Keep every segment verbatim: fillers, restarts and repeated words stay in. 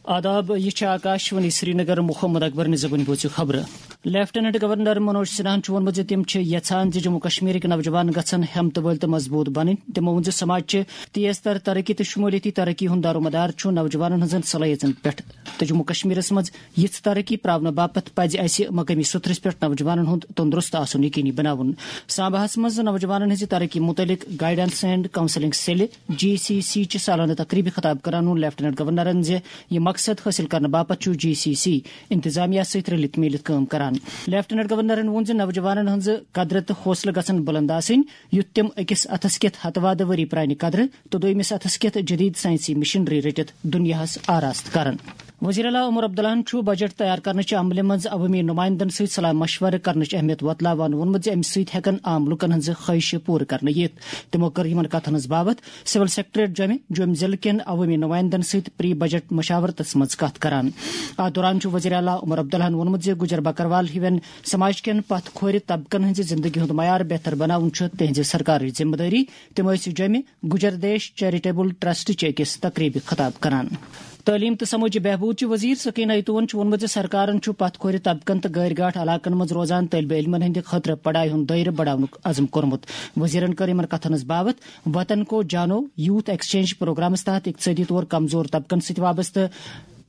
آداب، یہِ چھِ آکاشوانی سرینگر۔ محمد اکبر نِزبُن بوٗزِو خبرٕ۔ لیفٹیننٹ گورنر منوج سنہاہن چھُ ووٚنمُت زِ تِم چھِ یژھان زِ جموں کشمیرٕکۍ نوجوان گژھن ہمت وٲلۍ تہٕ مضبوٗط بنٕنۍ۔ تِمو ووٚن زِ سماج چھِ تیز تر ترقی تہٕ شمولیتی ترقی ہُنٛد دارومدار چھُ نوجوانن ہٕنٛزن صلٲحیژن پٮ۪ٹھ، تہٕ جموں کشمیرس منٛز یِژھ ترقی پراونہٕ باپتھ پزِ اسہِ مقٲمی سطرس پٮ۪ٹھ نوجوانن ہُنٛد تندرست آسُن یقینی بناوُن۔ سامباہس منٛز نوجوانن ہٕنٛزِ ترقی متعلق گائیڈنس اینڈ کاؤنسلنگ سیلہِ، جی سی سی، چہِ سالانہٕ تقریبہِ خطاب کران ووٚن لیفٹیننٹ گورنرن زِ یہِ مقصد حٲصِل کرنہٕ باپتھ چھُ جی سی سی انتظامیہ سۭتۍ رلِتھ میٖلِتھ کٲم کران۔ لیفٹیننٹ گورنرن ووٚن زِ نوجوانن ہٕنٛز قدر تہٕ حوصلہٕ گژھن بلند آسٕنۍ، یُتھ تِم أکِس اتھس کٮ۪تھ ہتہٕ وادٕ ؤری پرانہِ قدرٕ تہٕ دوٚیمِس اتھس کٮ۪تھ جدید ساینسی مشینری رٔٹِتھ دُنیاہس آراستہٕ کرن۔ وزیر اعلیٰ عمر عبداللہن چھُ بجٹ تیار کرنہٕ چہِ عملہِ منٛز عوٲمی نُمایندن سۭتۍ صلاح مشورٕ کرنٕچ اہمیت وۄتلاوان ووٚنمُت زِ امہِ سۭتۍ ہٮ۪کن عام لوٗکن ہٕنٛزٕ خٲہشہٕ پوٗرٕ کرنہٕ یِتھ۔ تِمو کٔر یِمن کتھن ہٕنٛز باوتھ سول سیکرٹریٹ جوٚمہِ، جوٚمہِ ضلعہٕ کٮ۪ن عوٲمی نُمایندن سۭتۍ پری بجٹ مشاورتس منٛز کتھ کران۔ اتھ دوران چھُ وزیر اعلیٰ عمر عبداللہن ووٚنمُت زِ گُجر بکروال ہِوٮ۪ن سماج کٮ۪ن پتھ کھورِ طبقن ہٕنٛزِ زندگی ہُنٛد معیار بہتر بناوُن چھُ تِہنٛزِ سرکارٕچ ذمہٕ دٲری۔ تِم ٲسۍ جوٚمہِ گجر دیش چیریٹیبل ٹرسٹ چہِ أکِس تقریبہِ خطاب کران۔ تعلیم تہٕ سمٲجی بہبود چہِ وزیر سکینہ ایتوون چھُ ووٚنمُت زِ سرکارن چھُ پتھ کھورِ طبقن تہٕ غٲرۍ گاٹھ علاقن منٛز روزان طٲلبہِ علمن ہٕنٛدِ خٲطرٕ پڑھایہِ ہُنٛد دٲیرٕ بڑاونُک عزم کوٚرمُت۔ وزیرن کٔر یِمن کتھن ہٕنٛز باوتھ وطن کو جانو یوتھ ایکسچینج پروگرامس تحت اقتصٲدی طور کمزور طبقن سۭتۍ وابستہٕ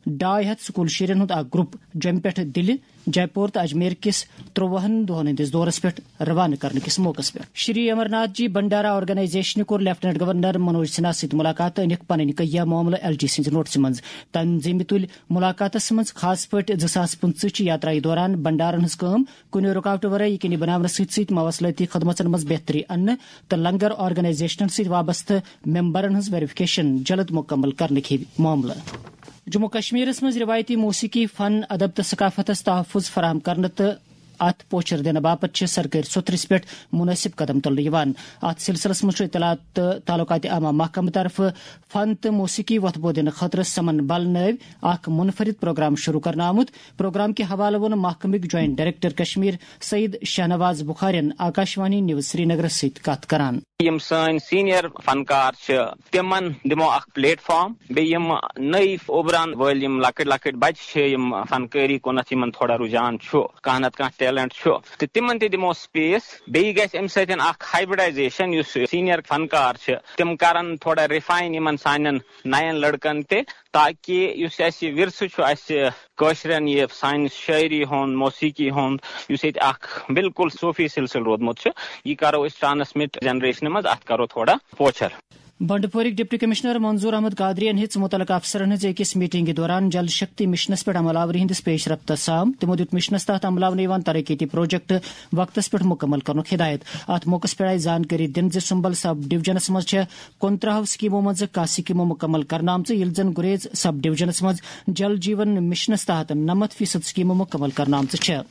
ڈاے ہتھ سکول شُرٮ۪ن ہُنٛد اکھ گروپ جوٚمہِ پٮ۪ٹھ دِلہِ، جے پور تہٕ اجمیر کِس ترٛوہن دۄہن ہٕنٛدِس دورس پٮ۪ٹھ روانہٕ کرنہٕ کِس موقعس پٮ۪ٹھ۔ شری امرناتھ جی بھنڈارا آرگنائزیشنہِ کوٚر لیفٹیننٹ گورنر منوج سنہا سۭتۍ مُلاقات تہٕ أنِکھ پنٕنۍ کٔہیا معاملہٕ ایل ڈی سٕنٛزِ نوٹسہِ منٛز۔ تنظیمہِ تُلۍ مُلاقاتس منٛز خاص پٲٹھۍ زٕ ساس پٕنٛژٕہ چہِ یاترایہِ دوران بھنڈارن ہٕنٛز کٲم، کُنہِ رُکاوٹہٕ ورٲے یقینی بناونس سۭتۍ سۭتۍ مواصلٲتی خدمژن منٛز بہتری اننہٕ تہٕ لنگر آرگنائزیشنن سۭتۍ وابستہٕ ممبرن ہٕنٛز ویریفکیشن جلد مکمل کرنٕکۍ ہِوۍ معاملہٕ۔ جموں کشمیرس منٛز روایتی موسیقی، فن، ادب تہٕ ثقافتس تحفظ فراہم کرنہٕ تہٕ اتھ پوچھر دِنہٕ باپتھ چھِ سرکٲرۍ سوٚتھرِس پٮ۪ٹھ مناسب قدم تُلنہٕ یِوان۔ اتھ سلسلس منٛز چھُ اطلاعات تہٕ تعلقات عامہ محکمہٕ طرفہٕ فن تہٕ موسیقی وۄتھٕ بو دِنہٕ خٲطرٕ سمن بل نٲوۍ اکھ منفرد پروگرام شروع کرنہٕ آمُت۔ پروگرام کہِ حوالہٕ ووٚن محکمٕکۍ جوائنٹ ڈائریکٹر کشمیر سعید شاہنواز بخارین آکاشوانی نیوز سرینگرس سۭتۍ کتھ کران۔ یِم سٲنۍ سینئر فنکار چھِ، تِمن دِمو اکھ پلیٹ فارم، بیٚیہِ یِم نٔوۍ اُبران وٲلۍ یِم لۄکٕٹۍ لۄکٕٹۍ بچہِ چھِ، یِم فنکٲری کُنتھ یِمن تھوڑا رجحان چھُ، کانٛہہ نتہٕ کانٛہہ ٹیلنٹ چھُ، تہٕ تِمن تہِ دِمو سپیس۔ بیٚیہِ گژھِ امہِ سۭتۍ اکھ ہائبرڈائزیشن، یُس سینئر فنکار چھِ، تِم کرن تھوڑا ریفائن یِمن سانٮ۪ن نین لڑکن تہِ، تاکہ یُس اسہِ ورثہٕ چھُ، اسہِ کٲشرٮ۪ن یہِ سانہِ شٲعری ہُنٛد، موسیقی ہُنٛد، یُس ییٚتہِ اکھ بالکل صوفی سلسلہٕ روٗدمُت چھُ، یہِ کرو أسۍ ٹرانسمٹ جنریشنہِ منٛز، اتھ کرو تھوڑا پوچھر۔ بنڈپورٕکۍ ڈپٹی کمشنر منظور احمد قادریَن ہیٚژ متعلقہٕ افسرن ہٕنٛز أکِس میٹنگہِ دوران جل شکتی مشنس پٮ۪ٹھ عمل آوری ہٕنٛدِس پیش رفتس سام۔ تِمو دیُت مشنس تحت عملاونہٕ یِوان ترقیتی پروجیکٹ وقتس پٮ۪ٹھ مُکمل کرنُک ہدایت۔ اتھ موقعس پٮ۪ٹھ آیہِ زانکٲری دِنہٕ زِ سمبل سب ڈویژنس منٛز چھےٚ کُنترٕہو سکیمو منٛز کاہ سکیمہٕ مُکمل کرنہٕ آمژٕ، ییٚلہِ زن گریز سب ڈویژنس منٛز جل جیون مشنس تحت نَمَتھ فیصد سکیمہٕ مُکمل کرنہٕ آمژٕ چھےٚ۔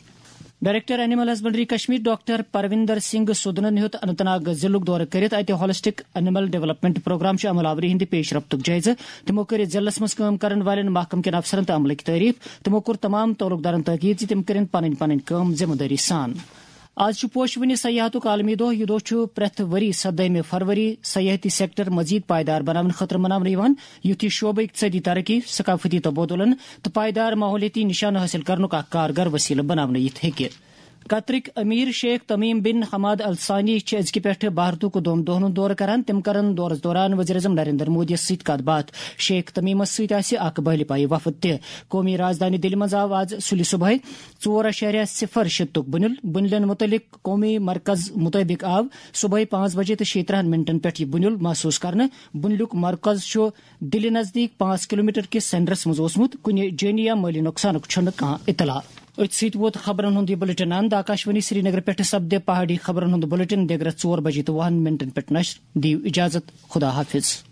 Director animal husbandry Kashmir doctor Parvinder Singh سودنن ہیوٚت اننت ناگ ضلعُک دورٕ کٔرِتھ اتہِ ہالسٹک اینیمل ڈیولپمنٹ پروگرام چہِ عمل آوری ہٕنٛدِ پیش رفتُک جٲیزٕ۔ تِمو کٔر ضلعس منٛز کٲم کرن والٮ۪ن محکمہٕ کٮ۪ن افسرن تہٕ عملٕکۍ تعریف۔ تِمو کوٚر تمام تعلق دارن تاکید زِ تِم کٔرِن پنٕنۍ پنٕنۍ کٲم ذمہٕ دٲری سان۔ آز چھُ پوشہٕ وٕنہِ سیاحتُک عالمی دۄہ۔ یہِ دۄہ چھُ پرٛٮ۪تھ ؤری سدٲہمہِ فروری سیاحتی سیکٹر مزید پائیدار بناونہٕ خٲطرٕ مناونہٕ یِوان، یُتھ یہِ شعبہٕ اقتصٲدی ترقی، ثقافتی تبادلن تہٕ پائیدار ماحولیٲتی نشانہٕ حٲصِل کرنُک اکھ کارگر وسیلہٕ بناونہٕ یِتھ ہیٚکہِ۔ قطرٕکۍ امیر شیخ تمیم بن حماد الثانی چھِ أزکہِ پٮ۪ٹھٕ بھارتُک دۄن دۄہن ہُنٛد دورٕ کران۔ تِم کرن دورس دوران وزیر اعظم نریندر مودیَس سۭتۍ کتھ باتھ۔ شیخ تمیمس سۭتۍ آسہِ اکھ بحلی پایہِ وفد تہِ۔ قومی راجدھانی دِلہِ منٛز آو آز سُلہِ صبحٲے ژور اعشاریہ صفر شیٚتُک بُنیُل۔ بُنیُلن مُتعلق قومی مرکز مُطٲبِق آو صبحٲے پانٛژھ بجے تہٕ شیٚیہِ ترٕٛہن منٹن پٮ۪ٹھ یہِ بُنیُل محسوٗس کرنہٕ۔ بُنیُلُک مرکز چھُ دِلہِ نزدیٖک پانٛژھ کلومیٹر کِس سینٹرس منٛز اوسمُت۔ کُنہِ جٲنی یا مٲلی نۄقصانُک چھُنہٕ کانٛہہ اطلاع۔ أتھۍ سۭتۍ ووت خبرن ہُنٛد یہِ بُلٹن اند۔ آکاشوانی سرینگر پٮ۪ٹھٕ سپدِ پہاڑی خبرن ہُنٛد بُلٹن دِگرس ژور بجے تہٕ وُہن منٹن پٮ۪ٹھ نشر۔ دِیِو اجازت، خدا حافظ۔